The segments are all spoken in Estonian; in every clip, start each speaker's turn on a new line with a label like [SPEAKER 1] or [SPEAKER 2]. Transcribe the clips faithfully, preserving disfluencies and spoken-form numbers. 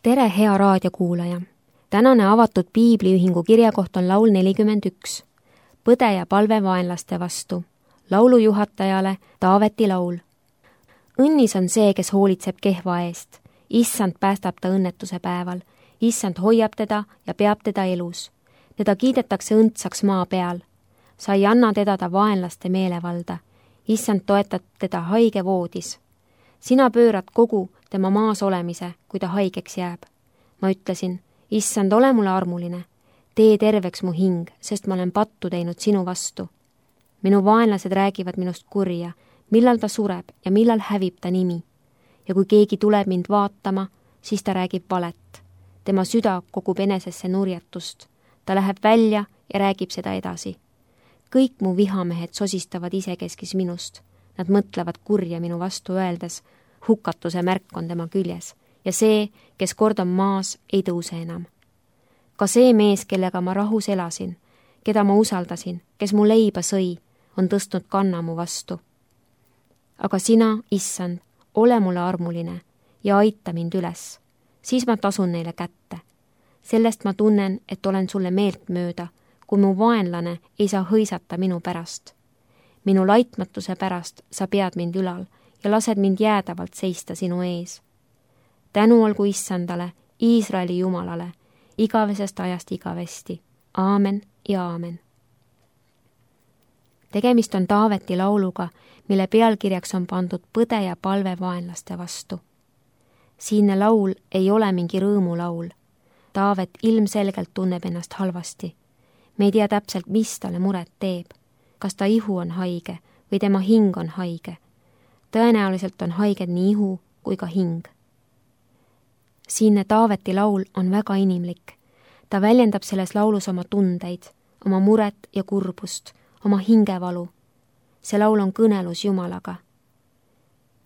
[SPEAKER 1] Tere, hea raadiokuulaja! Tänane avatud piibliühingu kirjakoht on laul nelikümmend üks. Põde ja palve vaenlaste vastu. Laulujuhatajale Taaveti laul. Õnnis on see, kes hoolitseb kehva eest. Issand päästab ta õnnetuse päeval. Issand hoiab teda ja peab teda elus. Teda kiidetakse õndsaks maa peal. Sa ei anna teda ta vaenlaste meelevalda. Issand toetab teda haige voodis. Sina pöörad kogu tema maas olemise, kui ta haigeks jääb. Ma ütlesin, issand, ole mulle armuline. Tee terveks mu hing, sest ma olen pattu teinud sinu vastu. Minu vaenlased räägivad minust kurja, millal ta sureb ja millal hävib ta nimi. Ja kui keegi tuleb mind vaatama, siis ta räägib valet. Tema süda kogub enesesse nurjatust. Ta läheb välja ja räägib seda edasi. Kõik mu vihamehed sosistavad isekeskis minust. Nad mõtlevad kurja minu vastu öeldes, hukatuse märk on tema küljes ja see, kes kord on maas, ei tõuse enam. Ka see mees, kellega ma rahus elasin, keda ma usaldasin, kes mu leiba sõi, on tõstnud kanna mu vastu. Aga sina, issand, ole mulle armuline ja aita mind üles, siis ma tasun neile kätte. Sellest ma tunnen, et olen sulle meelt mööda, kui mu vaenlane ei saa hõisata minu pärast. Minu laitmatuse pärast sa pead mind ülal ja lased mind jäädavalt seista sinu ees. Tänu olgu issandale, Iisraeli Jumalale, igavesest ajast igavesti. Aamen ja aamen. Tegemist on Taaveti lauluga, mille pealkirjaks on pandud Põde ja palve vaenlaste vastu. Siinne laul ei ole mingi rõõmulaul. Taavet ilmselgelt tunneb ennast halvasti. Me ei tea täpselt, mis talle muret teeb. Kas ta ihu on haige või tema hing on haige. Tõenäoliselt on haiged nii ihu kui ka hing. Siinne Taaveti laul on väga inimlik. Ta väljendab selles laulus oma tundeid, oma muret ja kurbust, oma hingevalu. See laul on kõnelus Jumalaga.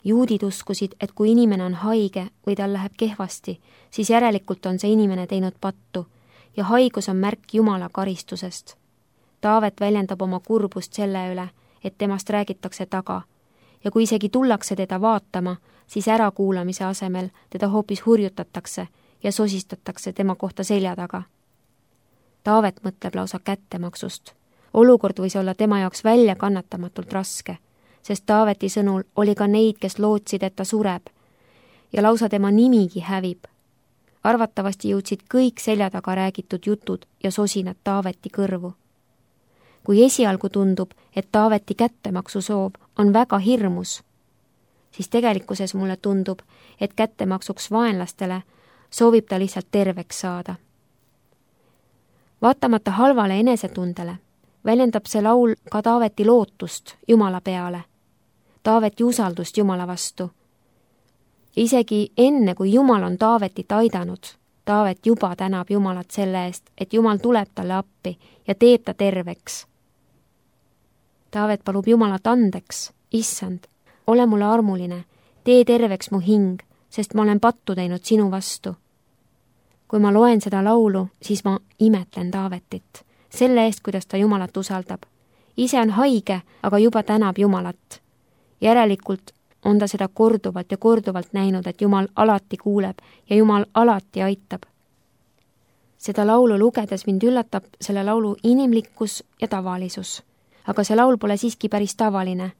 [SPEAKER 1] Juudid uskusid, et kui inimene on haige või tal läheb kehvasti, siis järelikult on see inimene teinud pattu ja haigus on märk Jumala karistusest. Taavet väljendab oma kurbust selle üle, et temast räägitakse taga ja kui isegi tullakse teda vaatama, siis ärakuulamise asemel teda hoopis hurjutatakse ja sosistatakse tema kohta selja taga. Taavet mõtleb lausa kättemaksust. Olukord võis olla tema jaoks välja kannatamatult raske, sest Taaveti sõnul oli ka neid, kes lootsid, et ta sureb ja lausa tema nimigi hävib. Arvatavasti jõudsid kõik selja taga räägitud jutud ja sosinad Taaveti kõrvu. Kui esialgu tundub, et Taaveti kättemaksusoov on väga hirmus, siis tegelikkuses mulle tundub, et kättemaksuks vaenlastele soovib ta lihtsalt terveks saada. Vaatamata halvale enesetundele väljendab see laul ka Taaveti lootust Jumala peale, Taaveti usaldust Jumala vastu. Isegi enne, kui Jumal on Taavetit aidanud, Taavet juba tänab Jumalat selle eest, et Jumal tuleb talle appi ja teeb ta terveks. Taavet palub Jumalat andeks, issand, ole mulle armuline, tee terveks mu hing, sest ma olen pattu teinud sinu vastu. Kui ma loen seda laulu, siis ma imetlen Taavetit, selle eest, kuidas ta Jumalat usaldab. Ise on haige, aga juba tänab Jumalat. Järelikult on ta seda korduvalt ja korduvalt näinud, et Jumal alati kuuleb ja Jumal alati aitab. Seda laulu lugedes mind üllatab selle laulu inimlikkus ja tavalisus. Aga see laul pole siiski päris tavaline.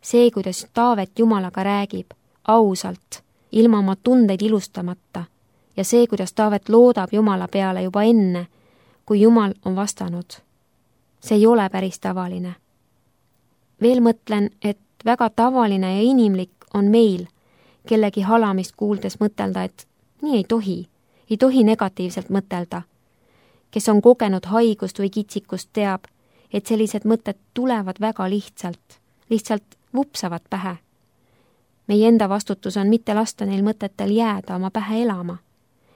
[SPEAKER 1] See, kuidas Taavet Jumalaga räägib, ausalt, ilma oma tundeid ilustamata, ja see, kuidas Taavet loodab Jumala peale juba enne, kui Jumal on vastanud. See ei ole päris tavaline. Veel mõtlen, et väga tavaline ja inimlik on meil, kellegi halamist kuuldes mõtelda, et nii ei tohi, ei tohi negatiivselt mõtelda. Kes on kogenud haigust või kitsikust teab, et sellised mõtted tulevad väga lihtsalt, lihtsalt vupsavad pähe. Meie enda vastutus on mitte lasta neil mõtetel jääda oma pähe elama.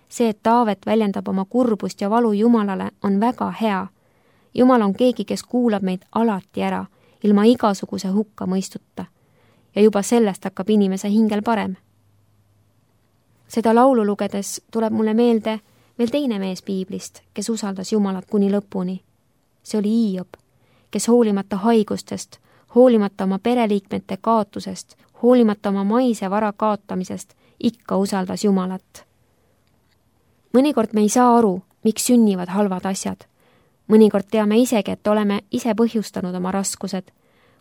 [SPEAKER 1] See, et Taavet väljendab oma kurbust ja valu Jumalale, on väga hea. Jumal on keegi, kes kuulab meid alati ära, ilma igasuguse hukka mõistuta. Ja juba sellest hakkab inimese hingel parem. Seda laulu lugedes tuleb mulle meelde veel teine mees piiblist, kes usaldas Jumalat kuni lõpuni. See oli Hiob, kes hoolimata haigustest, hoolimata oma pereliikmete kaotusest, hoolimata oma maise vara kaotamisest, ikka usaldas Jumalat. mõnikord me ei saa aru, miks sünnivad halvad asjad. Mõnikord teame isegi, et oleme ise põhjustanud oma raskused,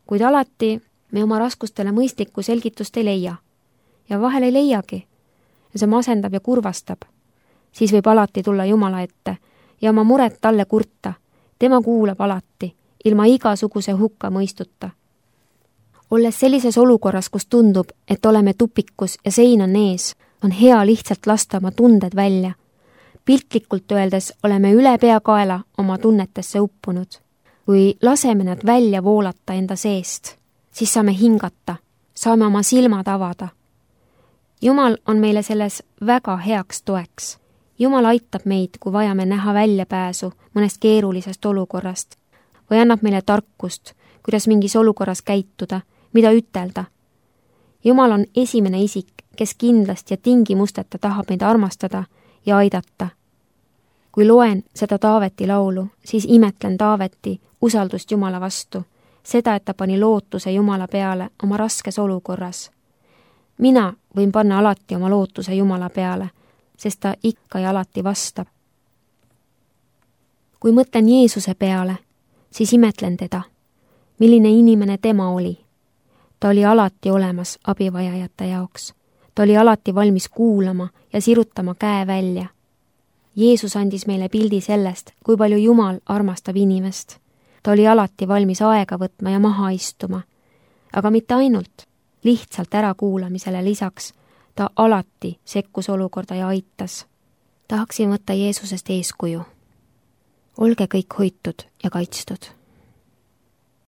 [SPEAKER 1] kuid alati me oma raskustele mõistlikku selgitust ei leia. Ja vahel ei leiagi. Ja see masendab ja kurvastab. Siis võib alati tulla Jumala ette ja oma muret talle kurta. Tema kuulab alati, ilma igasuguse hukka mõistuta. Olles sellises olukorras, kus tundub, et oleme tupikus ja sein on ees, on hea lihtsalt lasta oma tunded välja. Piltlikult öeldes oleme üle peakaela oma tunnetesse uppunud. Kui laseme nad välja voolata enda seest, siis saame hingata, saame oma silmad avada. Jumal on meile selles väga heaks toeks. Jumal aitab meid, kui vajame näha väljapääsu mõnest keerulisest olukorrast või annab meile tarkust, kuidas mingis olukorras käituda, mida ütelda. Jumal on esimene isik, kes kindlasti ja tingimusteta tahab meid armastada ja aidata. Kui loen seda Taaveti laulu, siis imetlen Taaveti usaldust Jumala vastu, seda, et ta pani lootuse Jumala peale oma raskes olukorras. Mina võin panna alati oma lootuse Jumala peale, sest ta ikka ja alati vastab. Kui mõtlen Jeesuse peale, siis imetlen teda, milline inimene tema oli. Ta oli alati olemas abivajajate jaoks. Ta oli alati valmis kuulama ja sirutama käe välja. Jeesus andis meile pildi sellest, kui palju Jumal armastab inimest. Ta oli alati valmis aega võtma ja maha istuma. Aga mitte ainult, lihtsalt ärakuulamisele lisaks, ta alati sekkus olukorda ja aitas. Tahaksin võtta Jeesusest eeskuju. Olge kõik hoitud ja kaitstud.